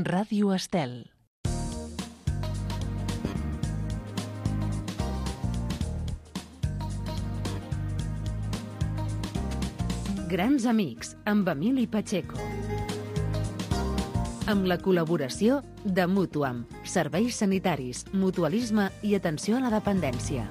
Ràdio Estel. Grans amics, amb Emili Pacheco. Amb la col·laboració de Mutuam, serveis sanitaris, mutualisme i atenció a la dependència.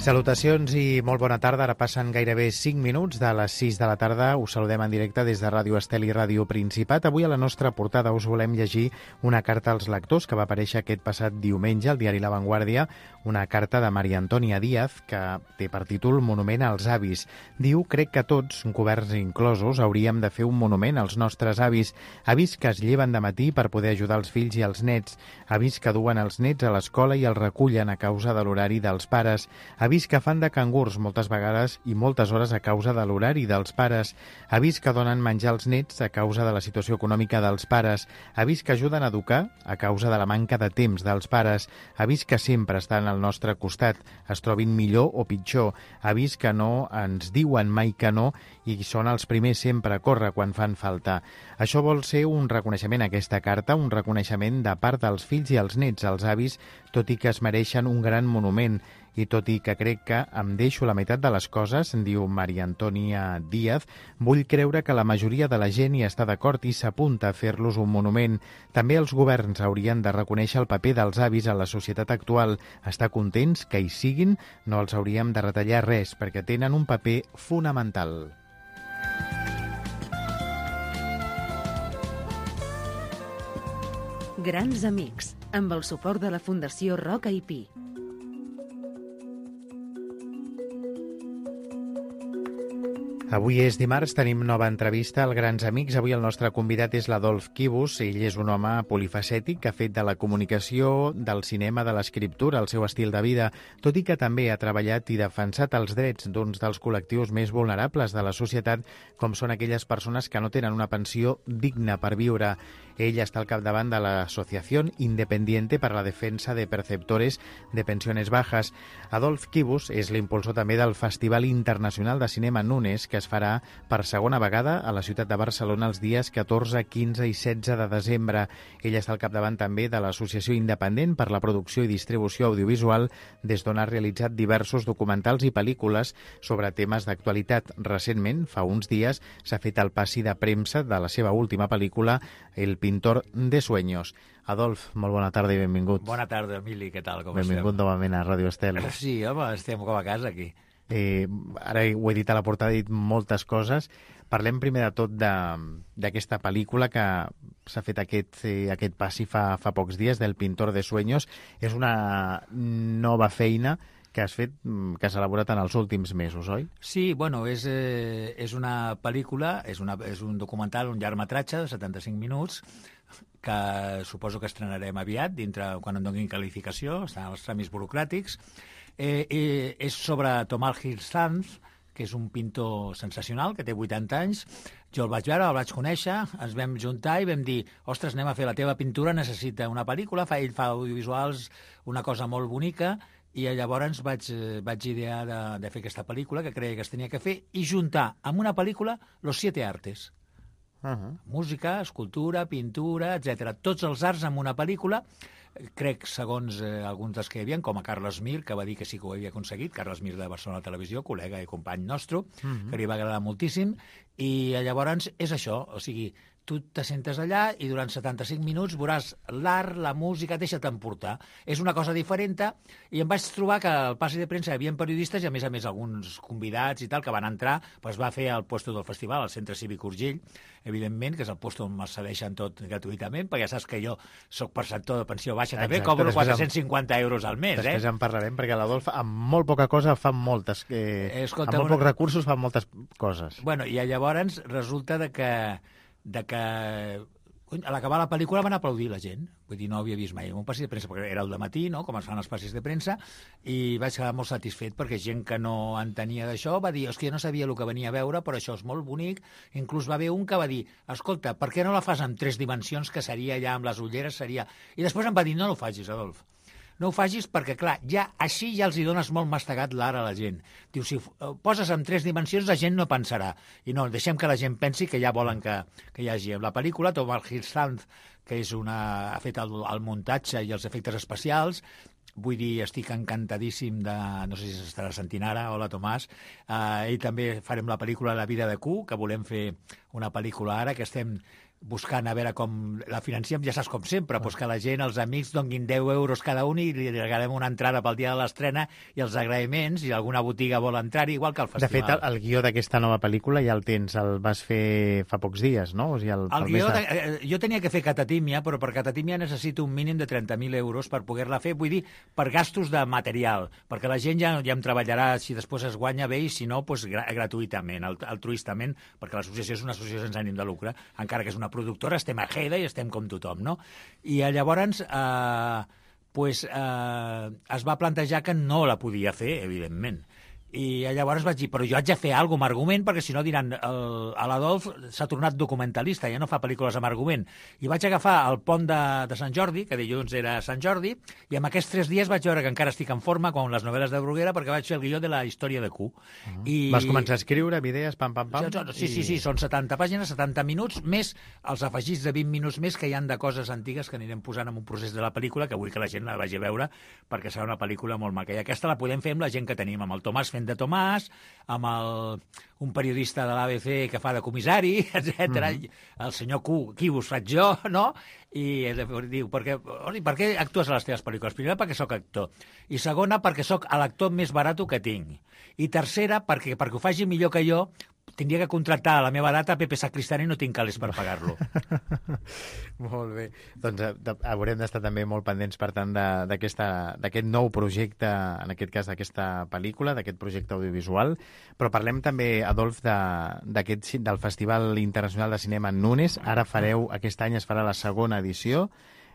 Salutacions i molt bona tarda. Ara passen gairebé 5 minuts de les 6 de la tarda. Us saludem en directe des de Ràdio Estel i Ràdio Principat. Avui a la nostra portada us volem llegir una carta als lectors que va aparèixer aquest passat diumenge al diari La Vanguardia, una carta de Maria Antònia Díaz que té per títol Monument als avis. Diu: crec que tots, governs inclosos, hauríem de fer un monument als nostres avis. Avis que es lleven de matí per poder ajudar els fills i els nets. Avis que duen els nets a l'escola i els recullen a causa de l'horari dels pares. Avis que fan de cangurs moltes vegades i moltes hores a causa de l'horari dels pares. Avis que donen menjar als nets a causa de la situació econòmica dels pares. Avis que ajuden a educar a causa de la manca de temps dels pares. Avis que sempre estan al nostre costat, es trobin millor o pitjor. Avis que no ens diuen mai que no i són els primers sempre a córrer quan fan falta. Això vol ser un reconeixement, aquesta carta, un reconeixement de part dels fills i els nets, als avis, tot i que es mereixen un gran monument. I tot i que crec que em deixo la meitat de les coses, diu Maria Antònia Díaz, vull creure que la majoria de la gent hi està d'acord i s'apunta a fer-los un monument. També els governs haurien de reconèixer el paper dels avis a la societat actual. Estar contents que hi siguin, no els hauríem de retallar res, perquè tenen un paper fonamental. Grans amics, amb el suport de la Fundació Roca i Pi. Avui és dimarts, tenim nova entrevista al Grans Amics. Avui el nostre convidat és l'Adolf Quibus. Ell és un home polifacètic que ha fet de la comunicació, del cinema, de l'escriptura, el seu estil de vida, tot i que també ha treballat i defensat els drets d'uns dels col·lectius més vulnerables de la societat, com són aquelles persones que no tenen una pensió digna per viure. Ell està al capdavant de l'Associació Independiente per a la Defensa de Perceptores de Pensiones Bajas. Adolf Quibus és l'impulsor també del Festival Internacional de Cinema Nunes, que es farà per segona vegada a la ciutat de Barcelona els dies 14, 15 i 16 de desembre. Ell està al capdavant també de l'Associació Independent per la Producció i Distribució Audiovisual, des d'on ha realitzat diversos documentals i pel·lícules sobre temes d'actualitat. Recentment, fa uns dies, s'ha fet el passi de premsa de la seva última pel·lícula, El pintor de sueños. Adolf, molt bona tarda i benvingut. Bona tarda, Emili, què tal? Com estem? Benvingut novament a Ràdio Estel. Sí, home, estem com a casa aquí. Ara ho he dit a la portada, he dit moltes coses. Parlem primer de tot d'aquesta pel·lícula que s'ha fet aquest passi fa pocs dies, del Pintor de Sueños. És una nova feina que has fet, que has elaborat en els últims mesos, oi? Sí, bueno, és una pel·lícula, és un documental, un llargmetratge de 75 minuts, que suposo que estrenarem aviat, quan em donin qualificació, estan als tràmits burocràtics. És sobre Tomás Gil Sanz, que és un pintor sensacional, que té 80 anys. Jo el vaig veure, el vaig conèixer, ens vam juntar i vam dir: ostres, anem a fer la teva pintura, necessita una pel·lícula, ell fa audiovisuals, una cosa molt bonica, i llavors vaig idear de fer aquesta pel·lícula, que creia que es tenia que fer, i juntar amb una pel·lícula los 7 artes. Música, escultura, pintura, etc. Tots els arts en una pel·lícula. Crec, segons alguns dels que hi havia, com a Carles Mir, que va dir que sí que ho havia aconseguit, Carles Mir de Barcelona Televisió, col·lega i company nostre, que li va agradar moltíssim, i llavors és això, o sigui, tu t'assentes allà i durant 75 minuts veuràs l'art, la música, deixa't emportar. És una cosa diferent, i em vaig trobar que al passi de premsa hi havia periodistes i, a més alguns convidats i tal, que van entrar, doncs va fer el puesto del festival, al Centre Cívic Urgell, evidentment, que és el puesto on me cedeixen tot gratuïtament, perquè ja saps que jo soc perceptor de pensió baixa, també cobro 450 euros al mes. Després en parlarem, perquè l'Adolf, amb molt poca cosa, fa moltes... amb molt pocs recursos, fa moltes coses. Bueno, i llavors resulta de que a l'acabar la pel·lícula van aplaudir la gent. Vull dir, no havia vist mai un passi de premsa, perquè era el dematí, no?, com es fan els passis de premsa, i vaig quedar molt satisfet, perquè gent que no entenia d'això va dir: és que jo no sabia el que venia a veure, però això és molt bonic. Inclús va haver un que va dir: escolta, per què no la fas en 3 dimensions, que seria ja amb les ulleres, seria... I després em va dir: no ho facis, Adolf. no ho facis perquè, clar, així ja els hi dones molt mastegat l'ara a la gent. Diu, si ho poses en 3 dimensions, la gent no pensarà. I no, deixem que la gent pensi que ja volen que hi hagi. En la pel·lícula, Tom Hiddleston, que ha fet el muntatge i els efectes especials, vull dir, estic encantadíssim de... No sé si s'estarà sentint ara. Hola, Tomàs. Ell també farem la pel·lícula La vida de Q, que volem fer una pel·lícula ara, que estem buscant a veure com la financiem, ja saps com sempre, doncs que la gent, els amics, donguin 10 euros cada un i li regalem una entrada pel dia de l'estrena i els agraïments, i alguna botiga vol entrar-hi, igual que al festival. De fet, el guió d'aquesta nova pel·lícula ja el tens, el vas fer fa pocs dies, no? O sigui, el guió, jo tenia que fer Catatímia, però per Catatímia necessito un mínim de 30.000 euros per poder-la fer, vull dir, per gastos de material, perquè la gent ja em treballarà si després es guanya bé i si no, doncs gratuïtament, altruistament, perquè l'associació és una associació sense ànim de lucre, encara que és una productora, estem a Heda i estem com tothom, no? I llavors es va plantejar que no la podia fer, evidentment. I llavors vaig dir, però jo haig de fer alguna cosa amb argument, perquè si no diran, l'Adolf s'ha tornat documentalista, ja no fa pel·lícules amb argument. I vaig agafar el pont de Sant Jordi, que dilluns era Sant Jordi, i en aquests 3 dies vaig veure que encara estic en forma, com les novel·les de Bruguera, perquè vaig fer el guió de la història de Q. Vas començar a escriure, amb idees, pam. Sí, són 70 pàgines, 70 minuts, més els afegits de 20 minuts més que hi han de coses antigues que anirem posant en un procés de la pel·lícula, que vull que la gent la vagi a veure, perquè serà una pel·lícula molt maca. I aquesta la podem fer amb la gent que tenim, amb el Tomàs fent de Tomàs, amb un periodista de l'ABC que fa de comissari, etc. El senyor Q, qui us faig jo, no? I diu, per què actues a les teves pel·lícules? Primera, perquè sóc actor. I segona, perquè sóc l'actor més barat que tinc. I tercera, perquè ho faci millor que jo, tindria que contractar a la meva data Pepe Sacristán i no tinc calés per pagar-lo. Molt bé. Doncs haurem d'estar també molt pendents, per tant, d'aquest nou projecte, en aquest cas d'aquesta pel·lícula, d'aquest projecte audiovisual. Però parlem també, Adolf, del Festival Internacional de Cinema Nunes. Ara aquest any es farà la segona edició.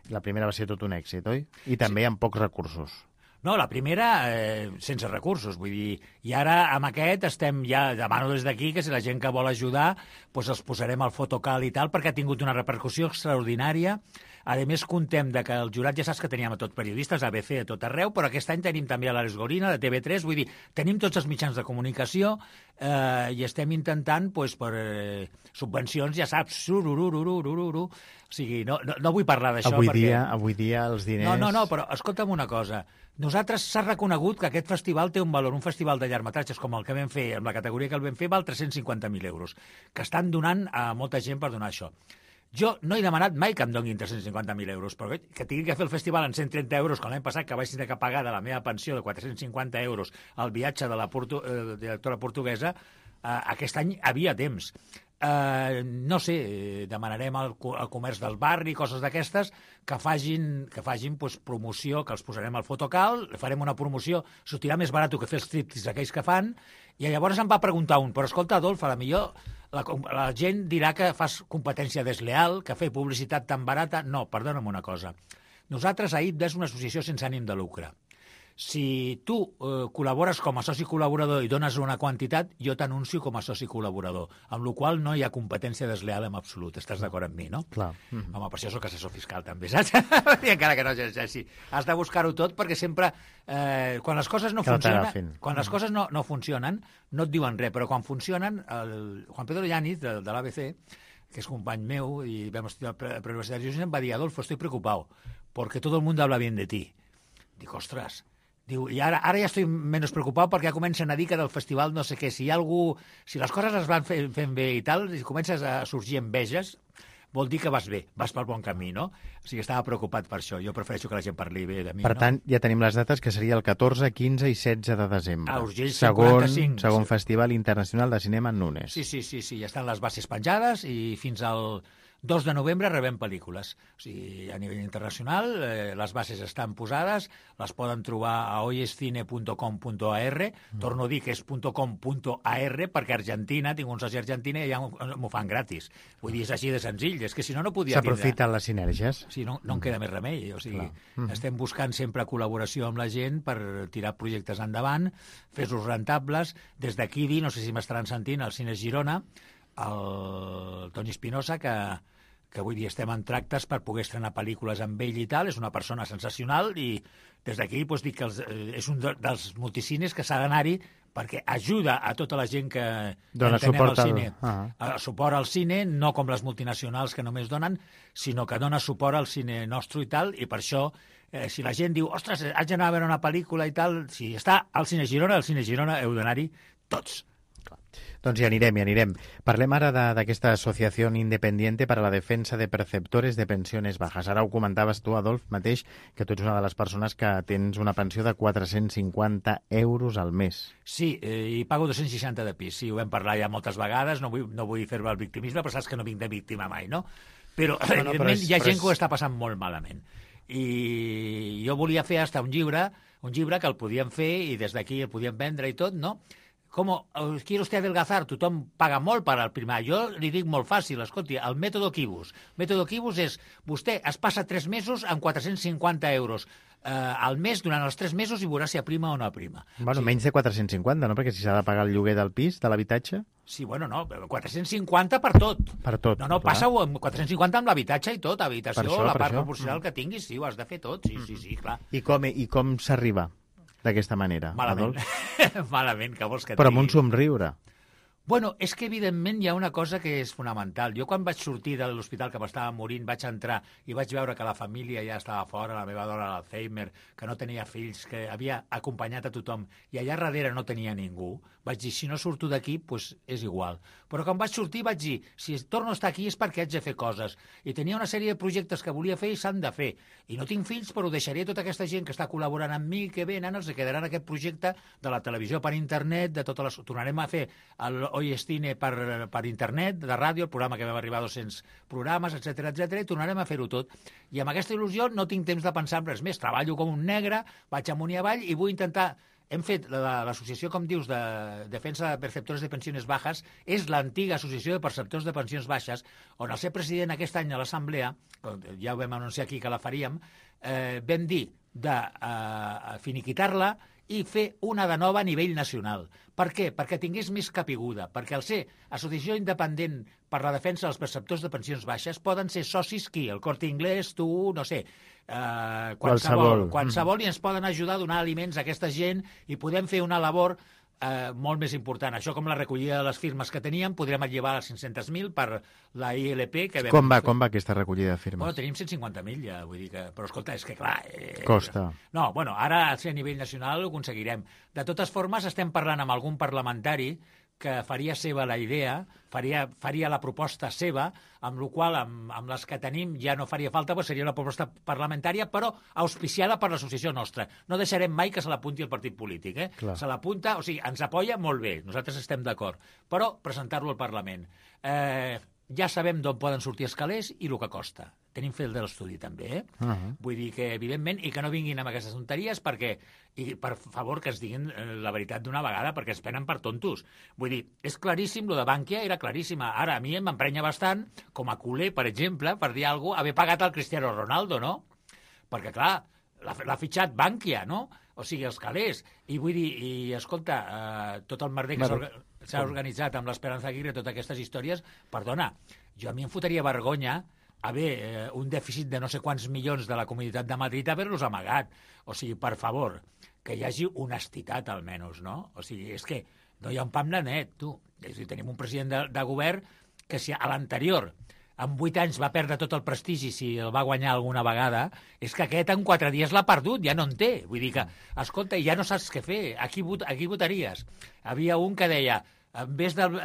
La primera va ser tot un èxit, oi? I també amb pocs recursos. No, la primera sense recursos, vull dir, i ara amb aquest demano des d'aquí que si la gent que vol ajudar, doncs els posarem al fotocal i tal, perquè ha tingut una repercussió extraordinària. A més, contem que el jurat ja saps que teníem a tots periodistes, ABC a tot arreu, però aquest any tenim també a l'Àlex Gorina, de TV3, vull dir, tenim tots els mitjans de comunicació i estem intentant, doncs, per subvencions, ja saps, o sigui, no vull parlar d'això perquè... Avui dia els diners... No, però escolta'm una cosa. Nosaltres s'ha reconegut que aquest festival té un valor, un festival de llargmetratges com el que vam fer, amb la categoria que el vam fer, val 350.000 euros, que estan donant a molta gent per donar això. Jo no he demanat mai que em donin 350.000 euros, però que tingui que fer el festival en 130 euros, com l'any passat, que vaig tenir que pagar de la meva pensió de 450 euros al viatge de la directora portuguesa, aquest any havia temps. No sé, demanarem al comerç del barri, coses d'aquestes, que facin doncs, promoció, que els posarem al fotocal, farem una promoció, sortirà més barat que fer els tríptics aquells que fan, i llavors em va preguntar però escolta, Adolf, a la millor la gent dirà que fas competència desleal, que fer publicitat tan barata... No, perdona'm una cosa. Nosaltres, AIB, és una associació sense ànim de lucre. Si tu col·labores com a soci col·laborador i dones una quantitat, jo t'anuncio com a soci col·laborador, amb la qual no hi ha competència desleal en absolut. Estàs d'acord amb mi, no? Clar. Home, per això soc assessor fiscal, també, saps? I encara que no exerceixi. Has de buscar-ho tot perquè sempre, quan les coses no funcionen, les coses no funcionen, no et diuen res, però quan funcionen, el Juan Pedro Yáñez, de l'ABC, que és company meu, i vam estudiar a la Universitat de Girona, em va dir, Adolfo, estoy preocupado, porque todo el mundo habla bien de ti. Dic, ostres... Diu, i ara ja estic menys preocupat perquè ja comencen a dir que del festival no sé què, si les coses es van fent bé i tal, i comences a sorgir enveges, vol dir que vas bé, vas pel bon camí, no? O sigui, estava preocupat per això. Jo prefereixo que la gent parli bé de mi, Per tant, ja tenim les dates, que seria el 14, 15 i 16 de desembre. A Urgell 145. Segon Festival Internacional de Cinema en Nunes. Sí, ja estan les bases penjades i fins al 2 de novembre rebem pel·lícules. O sigui, a nivell internacional, les bases estan posades, les poden trobar a hoyescine.com.ar, torno a dir que és .com.ar, perquè a Argentina, tinc un soci a Argentina i ja m'ho fan gratis. Vull dir, és així de senzill, és que si no, no podia tindre... S'aprofiten les sinergies. Sí, no en queda més remei. O sigui, estem buscant sempre col·laboració amb la gent per tirar projectes endavant, fer-los rentables. Des d'aquí dir, no sé si m'estaran sentint, al Cines Girona, el Toni Espinosa, que que vull dir, estem en tractes per poder estrenar pel·lícules amb ell i tal, és una persona sensacional i des d'aquí doncs, dic que és un dels multicines que s'ha d'anar-hi perquè ajuda a tota la gent que dona entenem suport al cine. Suport al cine, no com les multinacionals que només donen, sinó que dona suport al cine nostre i tal, i per això, si la gent diu, ostres, haig d'anar a veure una pel·lícula i tal, si està al Cine Girona, heu d'anar-hi tots. Doncs hi anirem. Parlem ara d'aquesta associació independiente para la defensa de perceptores de pensiones bajas. Ara ho comentaves tu, Adolf, mateix, que tu ets una de les persones que tens una pensió de 450 euros al mes. Sí, i pago 260 de pis. Sí, ho vam parlar ja moltes vegades, no vull fer-me el victimisme, però saps que no vinc de víctima mai, no? Però, evidentment, hi ha gent que ho està passant molt malament. I jo volia fer hasta un llibre que el podíem fer i des d'aquí el podíem vendre i tot, no? Com quiere usted adelgazar? Tothom paga molt per al primer. Jo li dic molt fàcil, escolti, el mètode Quibus. El mètode Quibus és, vostè es passa 3 mesos amb 450 euros al mes durant els 3 mesos i veurà si aprima o no aprima. Bueno, sí. Menys de 450, no? Perquè si s'ha de pagar el lloguer del pis, de l'habitatge... Sí, bueno, no, 450 per tot. Per tot. No, passa-ho amb 450 amb l'habitatge i tot, habitació, això, la part proporcional que tinguis, sí, ho has de fer tot, sí, clar. I com s'arriba d'aquesta manera, Malament. Adolf? Malament, que vols que et Però digui? amb un somriure. Bueno, és que evidentment hi ha una cosa que és fonamental. Jo quan vaig sortir de l'hospital que m'estava morint, vaig entrar i vaig veure que la família ja estava fora, la meva dona l'Alzheimer, que no tenia fills, que havia acompanyat a tothom, i allà darrere no tenia ningú, vaig dir, si no surto d'aquí, doncs és igual. Però quan vaig sortir vaig dir, si torno a estar aquí és perquè haig de fer coses. I tenia una sèrie de projectes que volia fer i s'han de fer. I no tinc fills, però deixaré tota aquesta gent que està col·laborant amb mi, que venen, els quedaran aquest projecte de la televisió per internet, de totes les... Tornarem a fer Hoy es Cine per internet, de ràdio, el programa que vam arribar a 200 programes, etc i tornarem a fer-ho tot. I amb aquesta il·lusió no tinc temps de pensar en res més. Treballo com un negre, vaig amunt i avall i vull intentar... Hem fet l'associació, com dius, de defensa de perceptors de pensions bajas, és l'antiga associació de perceptors de pensions baixes, on el ser president aquest any a l'Assemblea, ja ho vam anunciar aquí que la faríem, vam dir de finiquitar-la i fer una de nova a nivell nacional. Per què? Perquè tingués més capiguda, perquè al ser associació independent per la defensa dels perceptors de pensions baixes poden ser socis qui? El Corte Inglés, tu, no sé, qualsevol, i ens poden ajudar a donar aliments a aquesta gent i podem fer una labor molt més important. Això com la recollida de les firmes que teníem, podríem llevar a 500.000 per la ILP que vam... Com va aquesta recollida de firmes? Bueno, tenim 150.000 ja, vull dir que... Però escolta, és que clar... Costa. No, bueno, ara a nivell nacional ho aconseguirem. De totes formes, estem parlant amb algun parlamentari que faria seva la idea, faria la proposta seva, amb la qual amb les que tenim ja no faria falta, però seria una proposta parlamentària, però auspiciada per l'associació nostra. No deixarem mai que se l'apunti el partit polític. Se l'apunta, o sigui, ens apoya molt bé, nosaltres estem d'acord, però presentar-lo al Parlament. Ja sabem d'on poden sortir els calés i el que costa. Tenim fet l'estudi també, Vull dir que, evidentment, i que no vinguin amb aquestes tonteries perquè, i per favor, que ens diguin la veritat d'una vegada, perquè ens prenen per tontos. Vull dir, és claríssim, lo de Bankia era claríssima. Ara, a mi m'emprenya bastant, com a culer, per exemple, per dir alguna cosa, haver pagat el Cristiano Ronaldo, no? Perquè, clar, l'ha fitxat Bankia, no? O sigui, els calés. I vull dir, escolta, tot el merder que s'ha organitzat amb l'Esperanza Aguirre, totes aquestes històries, perdona, a mi em fotria vergonya haver un dèficit de no sé quants milions de la Comunitat de Madrid haver-los amagat. O sigui, per favor, que hi hagi honestitat almenys, no? O sigui, és que no hi ha un pam de net, tu. És a dir, tenim un president de govern que si a l'anterior en 8 anys va perdre tot el prestigi si el va guanyar alguna vegada, és que aquest en 4 dies l'ha perdut, ja no en té. Vull dir que, escolta, ja no saps què fer, a qui votaries? Havia un que deia, en vez del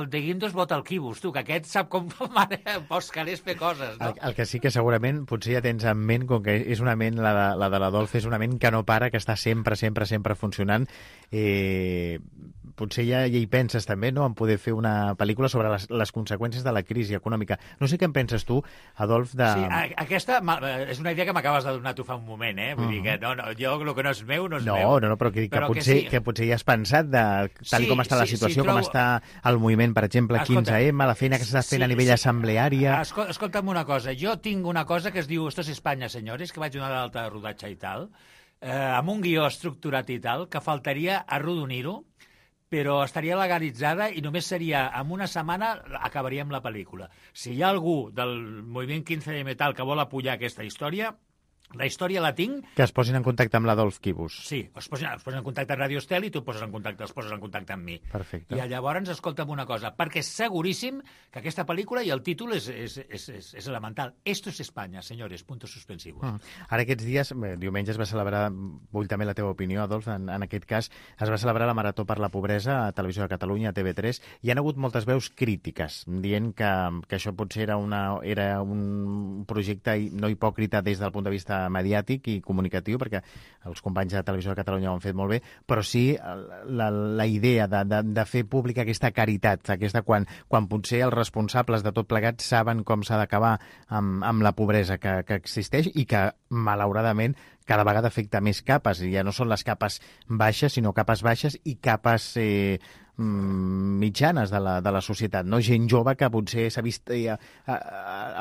de Guindos vota el Quibus, tu, que aquest sap com pots calés fer coses, no? El que sí que segurament potser ja tens en ment, com que és una ment, la de l'Adolf, és una ment que no para, que està sempre funcionant. Potser ja hi penses també, no?, en poder fer una pel·lícula sobre les conseqüències de la crisi econòmica. No sé què en penses tu, Adolf, de... Sí, aquesta és una idea que m'acabes de donar tu fa un moment, Vull dir que jo el que no és meu, no és meu. No, però que potser ja has pensat, tal com està la situació, com està el moviment, per exemple, 15M, la feina que s'està fent a nivell assembleària... Escolta'm una cosa, jo tinc una cosa que es diu Esto es España, señores, que vaig donar d'alta de rodatge i tal, amb un guió estructurat i tal, que faltaria arrodonir-ho però estaria legalitzada i només seria, en una setmana acabaríem la pel·lícula. Si hi ha algú del moviment 15M tal que vol apoyar aquesta història, la història la tinc. Que es posin en contacte amb l'Adolf Quibus. Sí, es posen en contacte amb Radio Estel i tu els poses en contacte amb mi. Perfecte. I llavors escolta'm una cosa, perquè és seguríssim que aquesta pel·lícula, i el títol és elemental, Esto es España, señores, puntos suspensivos. Ara aquests dies, diumenge es va celebrar, vull també la teva opinió, Adolf, en aquest cas, es va celebrar la Marató per la Pobresa a Televisió de Catalunya, a TV3, i hi ha hagut moltes veus crítiques, dient que això potser era un projecte no hipòcrita des del punt de vista mediàtic i comunicatiu, perquè els companys de Televisió de Catalunya ho han fet molt bé, però sí la idea de fer pública aquesta caritat, quan potser els responsables de tot plegat saben com s'ha d'acabar amb la pobresa que existeix i que, malauradament, cada vegada afecta més capes, i ja no són les capes baixes, sinó capes baixes i capes mitjanes de la societat, no? Gent jove que potser s'ha vist a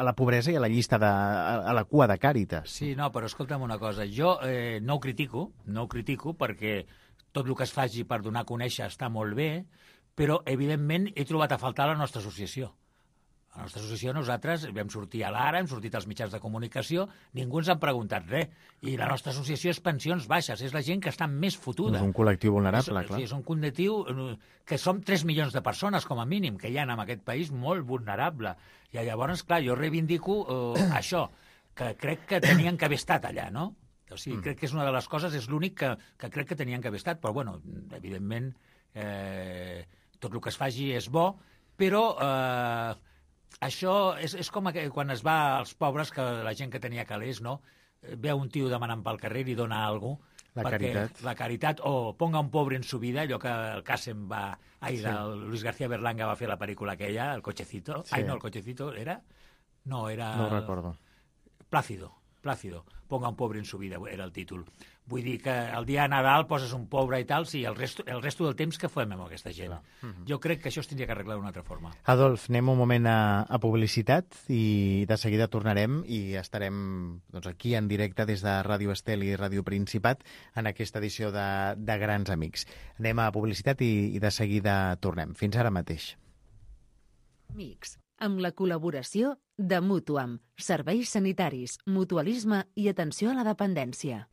la pobresa i a la llista a la cua de Càritas. Sí, no, però escolta'm una cosa, jo no ho critico perquè tot el que es faci per donar a conèixer està molt bé, però evidentment he trobat a faltar la nostra associació. A la nostra associació nosaltres vam sortir a l'Ara, hem sortit als mitjans de comunicació, ningú ens ha preguntat res. I la nostra associació és pensions baixes, és la gent que està més fotuda. És un col·lectiu vulnerable, clar. Sí, és un col·lectiu que som 3 milions de persones, com a mínim, que hi ha en aquest país molt vulnerable. I llavors, clar, jo reivindico això, que crec que tenien que haver estat allà, no? O sigui, crec que és una de les coses, és l'únic que crec que tenien que haver estat, però, bueno, evidentment, tot el que es faci és bo, però això és com quan es va als pobres, que la gent que tenia calés, no? Veu un tio demanant pel carrer i dona alguna cosa. La caritat, o ponga un pobre en su vida, allò que el Kassem Luis García Berlanga va fer la pel·lícula aquella, el cochecito. Sí. Ai, no, el cochecito era... No, era... No ho recordo. Plácido. Ponga un pobre en su vida, era el títol. Vull dir que el dia de Nadal poses un pobre i tal, sí, el resto del temps que fem amb aquesta gent. Jo crec que això es tindria que arreglar d'una altra forma. Adolf, anem un moment a publicitat i de seguida tornarem i estarem aquí en directe des de Ràdio Estel i Ràdio Principat en aquesta edició de Grans Amics. Anem a publicitat i de seguida tornem. Fins ara mateix. Amics, amb la col·laboració de Mutuam, serveis sanitaris, mutualisme i atenció a la dependència.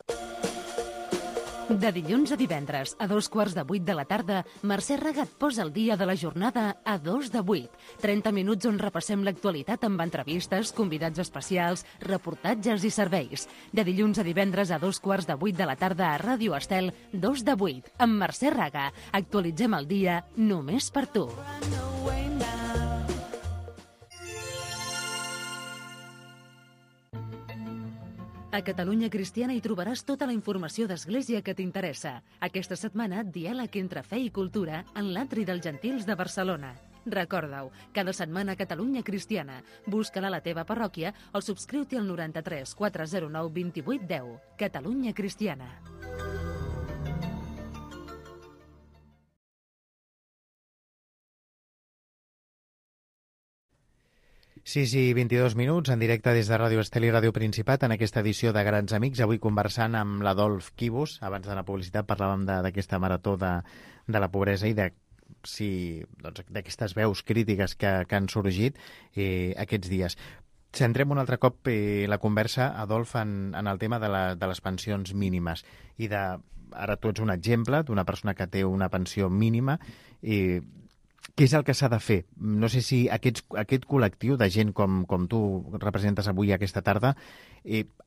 De dilluns a divendres, a 7:15 de la tarda, Mercè Regat posa el dia de la jornada a 7:02. 30 minuts on repassem l'actualitat amb entrevistes, convidats especials, reportatges i serveis. De dilluns a divendres a 7:15 de la tarda a Ràdio Estel, 7:02. Amb Mercè Regat, actualitzem el dia només per tu. A Catalunya Cristiana hi trobaràs tota la informació d'Església que t'interessa. Aquesta setmana, diàleg entre fe i cultura en l'Atri dels Gentils de Barcelona. Recorda-ho, cada setmana a Catalunya Cristiana. Busca-la a la teva parròquia o subscriu-t'hi al 93 409 28 10. Catalunya Cristiana. 6:22, en directe des de Ràdio Estel i Ràdio Principat, en aquesta edició de Grans Amics. Avui conversant amb l'Adolf Quibus. Abans de la publicitat parlàvem d'aquesta marató de la pobresa i d'aquestes veus crítiques que han sorgit aquests dies. Centrem un altre cop la conversa, Adolf, en el tema de les pensions mínimes. Ara tu ets un exemple d'una persona que té una pensió mínima i què és el que s'ha de fer? No sé si aquest col·lectiu de gent com tu representes avui aquesta tarda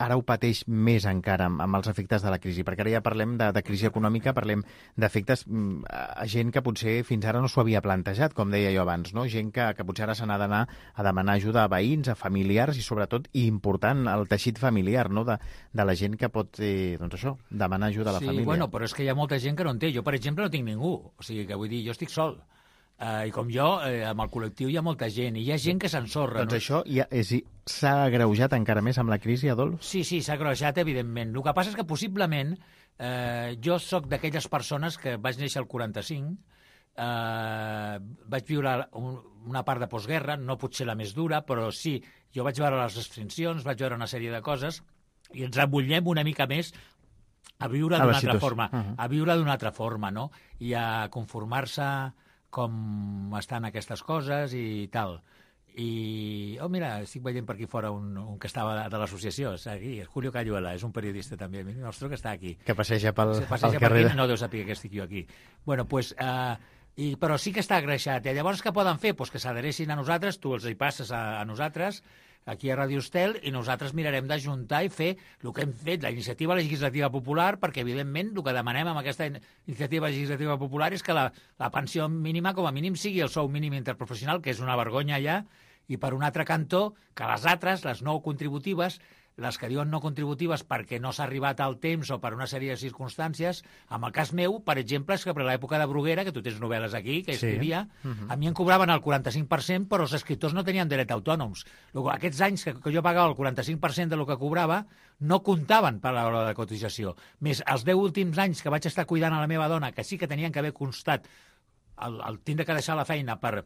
ara ho pateix més encara amb els efectes de la crisi, perquè ara ja parlem de crisi econòmica, parlem d'efectes a gent que potser fins ara no s'ho havia plantejat, com deia jo abans, no? Gent que potser ara se n'ha d'anar a demanar ajuda a veïns, a familiars i sobretot, i important, el teixit familiar, no? de la gent que pot demanar ajuda a la família. Sí, bueno, però és que hi ha molta gent que no en té. Jo, per exemple, no tinc ningú. O sigui, que vull dir, jo estic sol. I com jo, amb el col·lectiu hi ha molta gent, i hi ha gent que s'ensorra. Doncs això s'ha agreujat encara més amb la crisi, Adolf? Sí, s'ha agreujat, evidentment. El que passa és que possiblement jo sóc d'aquelles persones que vaig néixer al 45, vaig viure una part de postguerra, no potser la més dura, però sí, jo vaig veure les restriccions, vaig veure una sèrie de coses, i ens embutllem una mica més a viure d'una altra forma, a viure d'una altra forma, no? I a conformar-se com estan aquestes coses i tal. I, mira, estic veient per aquí fora un que estava de l'associació, aquí, Julio Cayuela, és un periodista també, nostre, que està aquí. Que passeja pel carrer. Per aquí, no deu saber que estic jo aquí. Bueno, doncs, però sí que està agreixat. I llavors què poden fer? Pues que s'adheressin a nosaltres, tu els hi passes a nosaltres, aquí a Ràdio Estel, i nosaltres mirarem d'ajuntar i fer el que hem fet, la iniciativa legislativa popular, perquè, evidentment, el que demanem amb aquesta iniciativa legislativa popular és que la pensió mínima, com a mínim, sigui el sou mínim interprofessional, que és una vergonya ja, i per un altre cantó, que les altres, les no contributives, les que diuen no contributives perquè no s'ha arribat al temps o per una sèrie de circumstàncies, en el cas meu, per exemple, és que per l'època de Bruguera, que tu tens novel·les aquí, que escrivia, a mi em cobraven el 45%, però els escriptors no tenien dret a autònoms. Aquests anys que jo pagava el 45% del que cobrava no comptaven per l'hora de cotització. Més els 10 últims anys que vaig estar cuidant a la meva dona, que sí que tenien que haver constat el tindre que deixar la feina per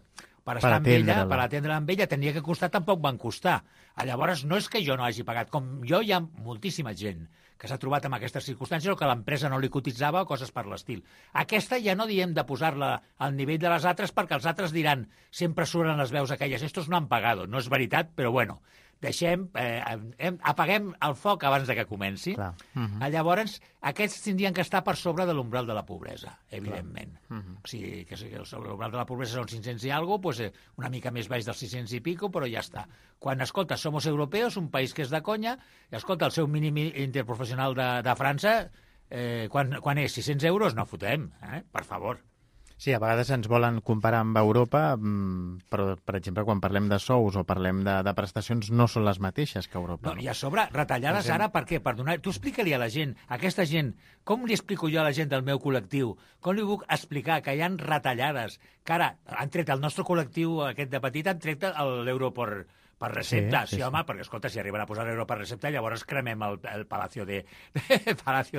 estar amb ella, per atendre-la amb ella, tenia que costar, tampoc van costar. Llavors, no és que jo no hagi pagat. Com jo, hi ha moltíssima gent que s'ha trobat en aquestes circumstàncies o que l'empresa no li cotitzava o coses per l'estil. Aquesta ja no diem de posar-la al nivell de les altres perquè els altres diran, sempre surten les veus aquelles, estos no han pagat. No és veritat, però bueno, apaguem el foc abans de que comenci. Llavors, aquests tindrien que estar per sobre de l'umbral de la pobresa, evidentment. O sigui, que l'umbral de la pobresa són 500 i alguna cosa, una mica més baix dels 600 i pico, però ja està. Quan, escolta, somos europeos, un país que és de conya, i escolta, el seu mínim interprofessional de França, quan és? 600 euros? No fotem, per favor. Sí, a vegades ens volen comparar amb Europa, però, per exemple, quan parlem de sous o parlem de prestacions, no són les mateixes que Europa. No, i a sobre, retallades ara, per què? Per donar... Tu explica-li a la gent, a aquesta gent, com li explico jo a la gent del meu col·lectiu? Com li puc explicar que hi ha retallades? Que ara han tret el nostre col·lectiu, aquest de petit, han tret l'euro per recepta. Sí, home, perquè, escolta, si arriben a posar l'euro per recepta, llavors cremem el Palacio de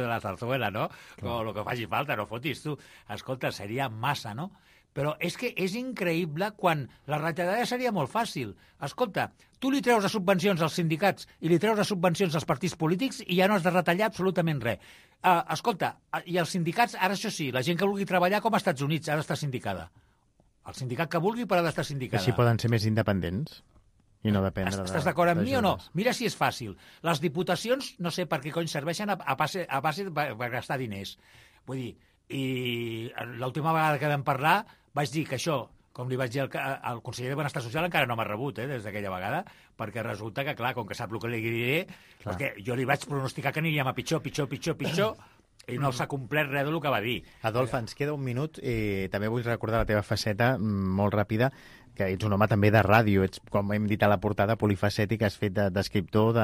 la Zarzuela, no? O el que faci falta, no fotis tu. Escolta, seria massa, no? Però és que és increïble quan la retallada seria molt fàcil. Escolta, tu li treus de subvencions als sindicats i li treus de subvencions als partits polítics i ja no has de retallar absolutament res. Escolta, i els sindicats, ara això sí, la gent que vulgui treballar com als Estats Units ha d'estar sindicada. El sindicat que vulgui però ha d'estar sindicada. Així poden ser més independents i no dependre de... Estàs d'acord amb mi o no? Mira si és fàcil. Les diputacions, no sé per què cony serveixen a base per gastar diners. Vull dir, i l'última vegada que vam parlar vaig dir que això, com li vaig dir al conseller de Benestar Social, encara no m'ha rebut des d'aquella vegada, perquè resulta que, clar, com que sap el que li diré, perquè jo li vaig pronosticar que aniríem a pitjor, i no s'ha complert res del que va dir. Adolf, ens queda un minut i també vull recordar la teva faceta molt ràpida, que ets un home també de ràdio, ets, com hem dit a la portada, polifacètic, has fet d'escriptor,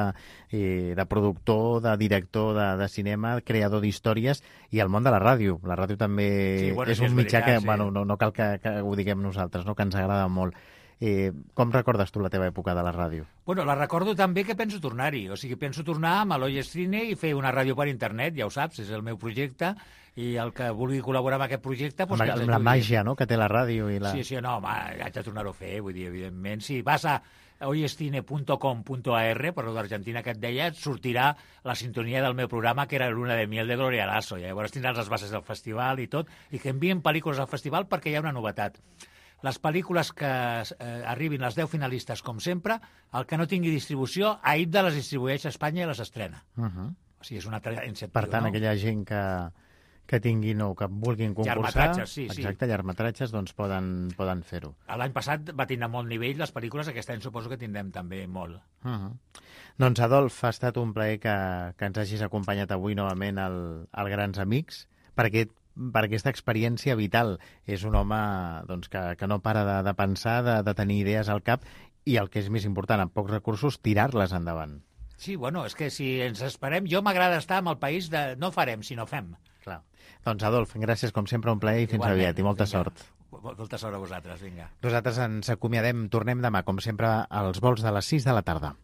de productor, de director de cinema, creador d'històries, i el món de la ràdio. La ràdio també és un mitjà que no cal que ho diguem nosaltres, no? Que ens agrada molt. Com recordes tu la teva època de la ràdio? Bueno, la recordo també que penso tornar-hi. O sigui, penso tornar amb l'Oi Estrine i fer una ràdio per internet, ja ho saps, és el meu projecte, i el que vulgui col·laborar amb aquest projecte... Doncs amb la màgia, no?, que té la ràdio i la... Sí, no, haig de tornar-ho a fer, vull dir, evidentment. Si vas a oyestrine.com.ar, per l'Argentina que et deia, et sortirà la sintonia del meu programa, que era Luna de Miel de Gloria Lasso. I llavors tindràs les bases del festival i tot, i que envien pel·lícules al festival perquè hi ha una novetat. Les pel·lícules que arribin les 10 finalistes, com sempre, el que no tingui distribució, a IDDA les distribueix a Espanya i les estrena. O sigui, és una iniciativa. Per tant, aquella gent que tinguin o que vulguin concursar... Llargmetratges, sí. Exacte, llargmetratges, doncs poden fer-ho. L'any passat va tindre molt nivell les pel·lícules, aquest any suposo que tindrem també molt. Doncs, Adolf, ha estat un plaer que ens hagis acompanyat avui novament al Grans Amics, perquè per aquesta experiència vital. És un home doncs, que no para de pensar, de tenir idees al cap i, el que és més important, amb pocs recursos, tirar-les endavant. Sí, bueno, és que si ens esperem... Jo m'agrada estar amb el país de no farem, sinó fem. Clar. Doncs, Adolf, gràcies, com sempre, un plaer i fins aviat, i molta sort. Molta sort a vosaltres, vinga. Nosaltres ens acomiadem, tornem demà, com sempre, als vols de les 6 de la tarda.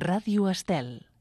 Ràdio Estel.